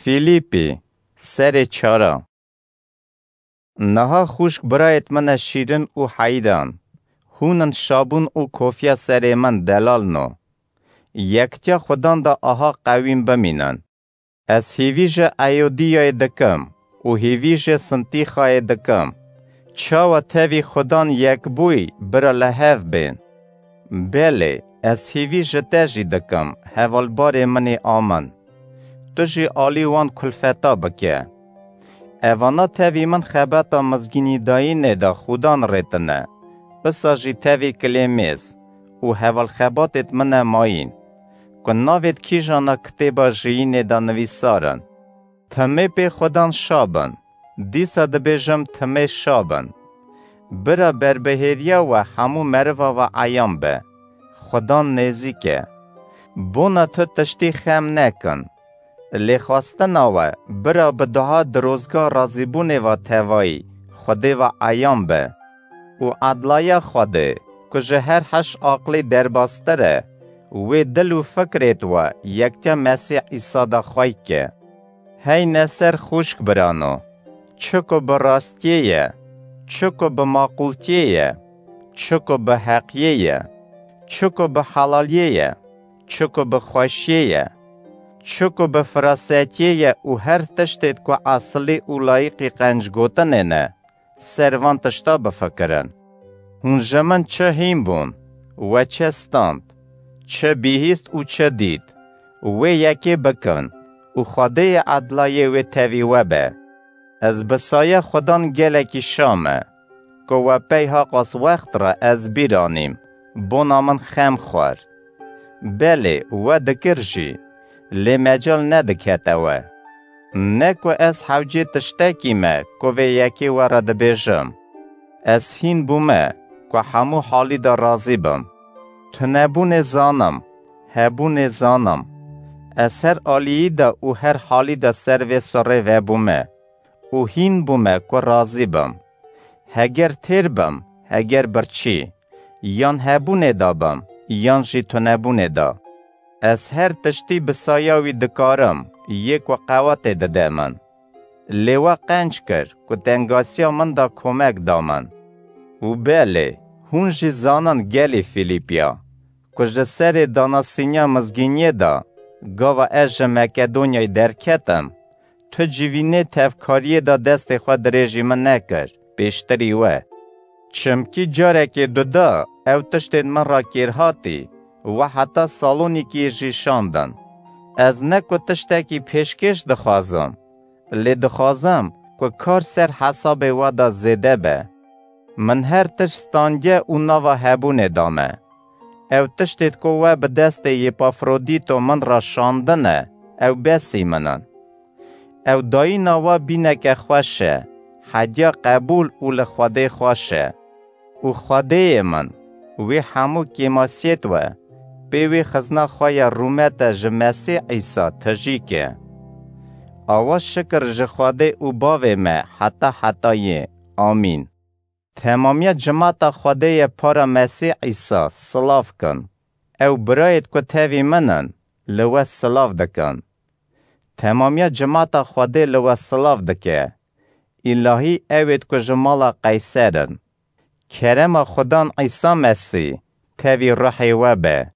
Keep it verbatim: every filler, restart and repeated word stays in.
Fîlîpî, serê çara. Niha xûşk birayêt min e şîrin û heyran, hûn in şabûn û kofiya serê min delalno. Yektiya Xudan de aha qewîn bimînin. Ez hîvî ji Eyodiyayê dikim û hîvî ji Sintîxayê dikim. Çawa tevî Xudan yekbûyî bira li hev bên. Belê, ez hîvî ji te jî dikim, hevalbarê min ê amin. Tu jî alî wan kulfeta bike. Evana tevî min xebata mizgînîdayînê de Xudan rêtine, isa jî tevî Kilêmês û hevalxebatêt min e mayîn, ku navêt kîjana kitêba jiyînê de nivîsar in. Timê pê Xudan şa bin, dîsa dibêjim timê şa bin. Bira berbihêriya we hemû meriva ve eyan be. Xudan nêzîk e. Bona tu tiştî xem nekin. Lê xwestina we bira bi dua dirozga razîbûnê ve tevayî Xwedê ve eyan be. Û edlaya Xwedê, ku ji her heş aqlî derbastir e, wê dil û fikrêt we yektiya Mesîh Îsa de xwey ke. Heyne ser xûşk birano, çi ku bi rastiyê ye, çi ku bi maqûltiyê ye, çi ku bi heqiyê ye, çi ku bi helaliyê ye, çi ku bi xweşiyê ye, çi ku bi firasetiyê ye û her tiştêt ku esilî û layîqî qencgotinê ne, ser van tişta bifikirin. Hûn ji min çi hîn bûn, we çi stand, çi bihîst û çi dît, wê yekê bikin û Xwedêyê edlayê wê tevî we be. Ez bi saya Xudan gelekî şa me, ku we pey haqas wext re ez bîr anîm, bona min xem xwar. Belê, we dikir jî, lê mecal nedikete we. Ne ku ez hewcê tiştekî me ku vê yekê we re dibêjim. Ez hîn bûme ku hemû halî de razî bim. Tunebûnê zanim, hebûnê zanim. Ez her aliyî de û her halî de ser vê sirrê vebûme û hîn bûme ku razî bim. Heger têr bim, heger birçî, yan hebûnê de bim, yan jî tunebûnê de. Ez her tiştî bi saya wî dikarim, yê ku qewetê dide min. Lê we qenc kir ku tengasiya min de komek da min. Û belê, hûn jî zanin gelî Fîlîpiya, ku ji serê danasîniya mizgîniyê de, gava ez ji Makedonyayê derketim, tu civînê tevkariyê de destê xwe dirêjî min nekir, pêştirî we. Çimkî carekê duda ew tiştên min re kêrhatî, we heta Salonîkiyê jî şandin. Ez ne ku tiştekî pêşkêş dixwazim, lê dixwazim ku kar ser hesabê we de zêde be. Min her tişt standiye û nava hebûnê da me. Ew tiştêt ku we bi destê Yêpafrodîto min re şandine, ew besî min in. Ew dayîna we bîneke xweş e, hediya qebûl û li Xwedê xweş e. Û Xwedêyê min, wê hemû kêmasiyêt we, pê wê xizna xwe ya rûmete ji Mesîh Îsa tijî ke. Awa şikir ji Xwedê û Bavê me heta hetayê. Amîn. Temamiya cimata Xwedê ye para Mesîh Îsa silav kin. Ew birayêt ku tevî min in, li we silav dikin. Temamiya cimata Xwedê li we silav dike. Îlahî ewêt ku ji mala Qeyser in. Kerema Xudan Îsa Mesîh tevî ruhê we be.